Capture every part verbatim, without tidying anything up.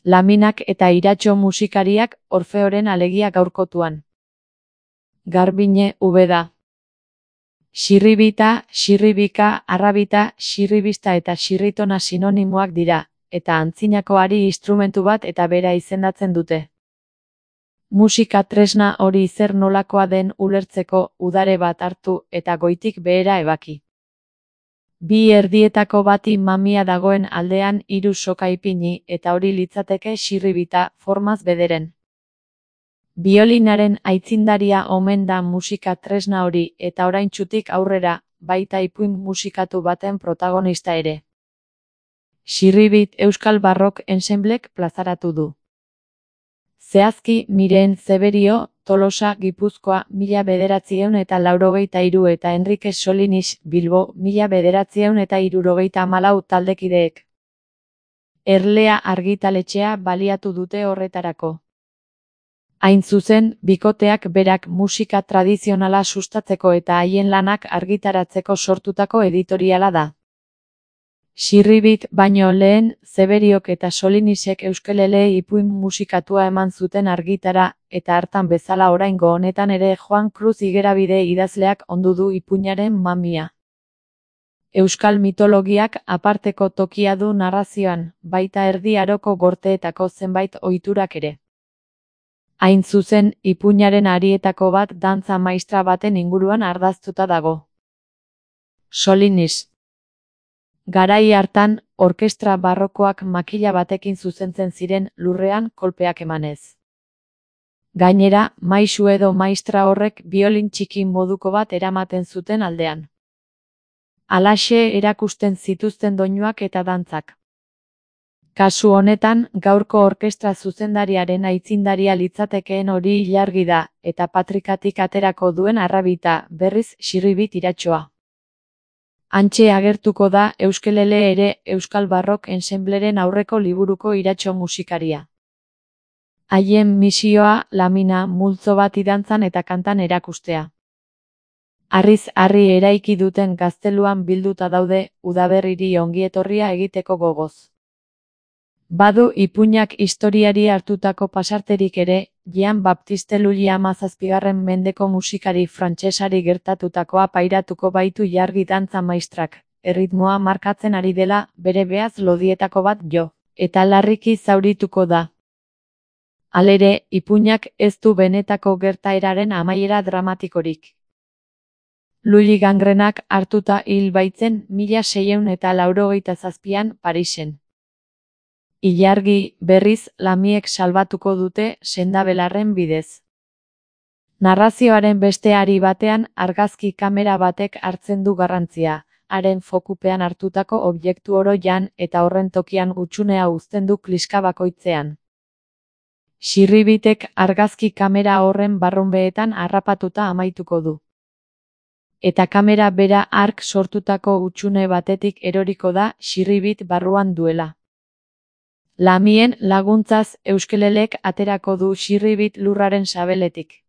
Laminak eta Iratxo musikariak Orfeoren alegia gaurkotuan. Garbine Ubeda. Xirribita, xirribika, arrabita, xirribista eta xirritona sinonimoak dira, eta antzinakoari instrumentu bat eta bera izendatzen dute. Musika tresna hori zer nolakoa den ulertzeko udare bat hartu eta goitik behera ebaki. Bi erdietako bati mamia dagoen aldean hiru soka ipini eta hori litzateke xirribita formaz bederen. Biolinaren aitzindaria omen da musika tresna hori eta oraintsutik aurrera, baita ipuin musikatu baten protagonista ere. Xirribit Euskal Barrok Ensemblek plazaratu du. Zehazki Miren Zeberio, Tolosa, Gipuzkoa, mila bederatziehun eta laurogeita hiru eta Enrique Solinis, Bilbo, mila bederatziehun eta hirurogeita hamalau taldekideek. Erlea argitaletxea baliatu dute horretarako. Hain zuzen, bikoteak berak musika tradizionala sustatzeko eta haien lanak argitaratzeko sortutako editoriala da. Xirribit baino lehen, Zeberiok eta Solinisek euskelele ipuin musikatua eman zuten argitara, eta hartan bezala oraingo honetan ere Juan Cruz Igerabide idazleak ondu du ipuinaren mamia. Euskal mitologiak aparteko tokia du narrazioan, baita Erdi Aroko gorteetako zenbait ohiturak ere. Hain zuzen, ipuinaren arietako bat dantza maistra baten inguruan ardaztuta dago. Solinis. Garai hartan, orkestra barrokoak makila batekin zuzentzen ziren lurrean kolpeak emanez. Gainera, maisu edo maistra horrek biolin txiki moduko bat eramaten zuten aldean. Halaxe erakusten zituzten doinuak eta dantzak. Kasu honetan, gaurko orkestra zuzendariaren aitzindaria litzatekeen hori ilargi da, eta patrikatik aterako duen arrabita, berriz Xirribit Iratxoa. Hantxe agertuko da euskelele ere Euskal Barrok Ensembleren aurreko liburuko Iratxo musikaria. Haien misioa, lamina, multzo bat idantzan eta kantan erakustea. Harriz harri eraiki duten gazteluan bilduta daude, udaberriri ongietorria egiteko gogoz. Badu ipuinak historiari hartutako pasarterik ere, Jean Baptiste Lully hamazazpigarren mendeko musikari frantsesari gertatutakoa pairatuko baitu jargi dantza maistrak, erritmoa markatzen ari dela, bere behaz lodietako bat jo, eta larriki zaurituko da. Halere, ipuinak ez du benetako gertaeraren amaiera dramatikorik. Lully gangrenak hartuta hil baitzen mila seiehun eta laurogeita zazpian Parisen. Ilargi, berriz, Lamiek salbatuko dute sendabelarren bidez. Narrazioaren beste ari batean argazki kamera batek hartzen du garrantzia, haren fokupean hartutako objektu oro jan eta horren tokian hutsunea uzten du kliska bakoitzean. Xirribitek argazki kamera horren barrunbeetan harrapatuta amaituko du. Eta kamera bera hark sortutako hutsune batetik eroriko da Xirribit barruan duela. Lamien laguntzaz euskelelek aterako du Xirribit lurraren sabeletik.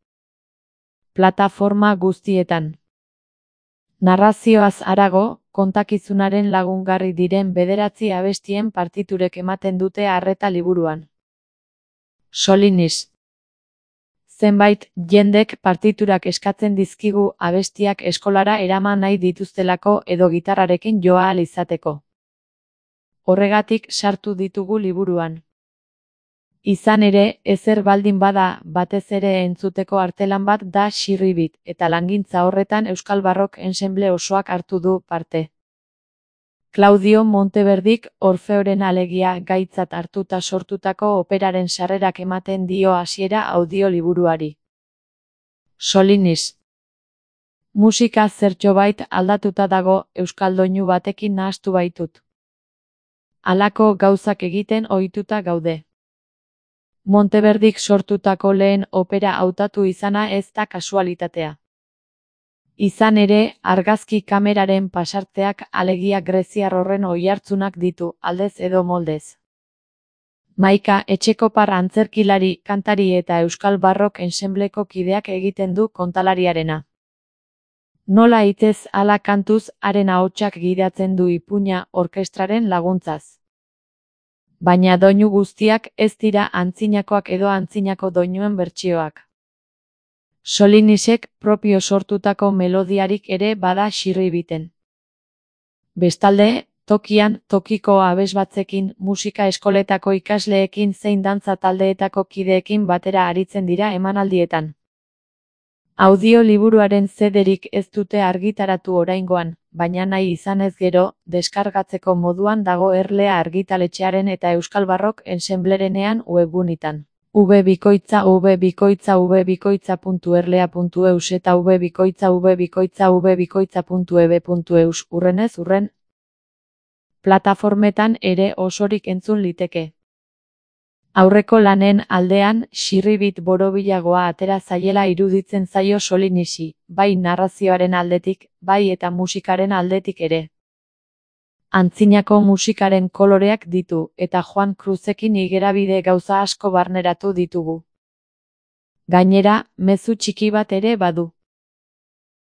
Plataforma guztietan. Narrazioaz harago, kontakizunaren lagungarri diren bederatzi abestien partiturek ematen dute arreta liburuan. Solinis. Zenbait jendek partiturak eskatzen dizkigu abestiak eskolara eraman nahi dituztelako edo gitarrarekin joa ahal izateko. Horregatik sartu ditugu liburuan. Izan ere, ezer baldin bada, batez ere entzuteko artelan bat da Xirribit, eta langintza horretan Euskal Barrok Ensemble osoak hartu du parte. Claudio Monteverdik Orfeoren alegia gaitzat hartuta sortutako operaren sarrerak ematen dio hasiera audioliburuari. Solinis. Musika zertxobait aldatuta dago, euskal doinu batekin nahastu baitut. Halako gauzak egiten ohituta gaude. Monteverdik sortutako lehen opera hautatu izana ez da kasualitatea. Izan ere, argazki kameraren pasarteak alegia greziar horren oihartzunak ditu, aldez edo moldez. Maika Etxekopar antzerkilari, kantari eta Euskal Barrok Ensembleko kideak egiten du kontalariarena. Nola hitez ala kantuz haren ahotsak gidatzen du ipuina orkestraren laguntzaz. Baina doinu guztiak ez dira antzinakoak edo antzinako doinuen bertsioak. Solinisek propio sortutako melodiarik ere bada Xirribiten. Bestalde, tokian tokiko abesbatzekin, musika eskoletako ikasleekin zein dantza taldeetako kideekin batera aritzen dira emanaldietan. Audioliburuaren zederik ez dute argitaratu oraingoan, baina nahi izanez gero, deskargatzeko moduan dago Erlea argitaletxearen eta Euskal Barrok Ensemblerenean webgunitan. vbikoitza vbikoitza vbikoitza.erlea.eus eta vbikoitza vbikoitza vbikoitza.eb.eus urrenez urren. Plataformetan ere osorik entzun liteke. Aurreko lanen aldean, Xirribit borobilagoa atera zaiela iruditzen zaio Solinisi, bai narrazioaren aldetik, bai eta musikaren aldetik ere. Antzinako musikaren koloreak ditu, eta Juan Cruzekin igerabide gauza asko barneratu ditugu. Gainera, mezu txiki bat ere badu.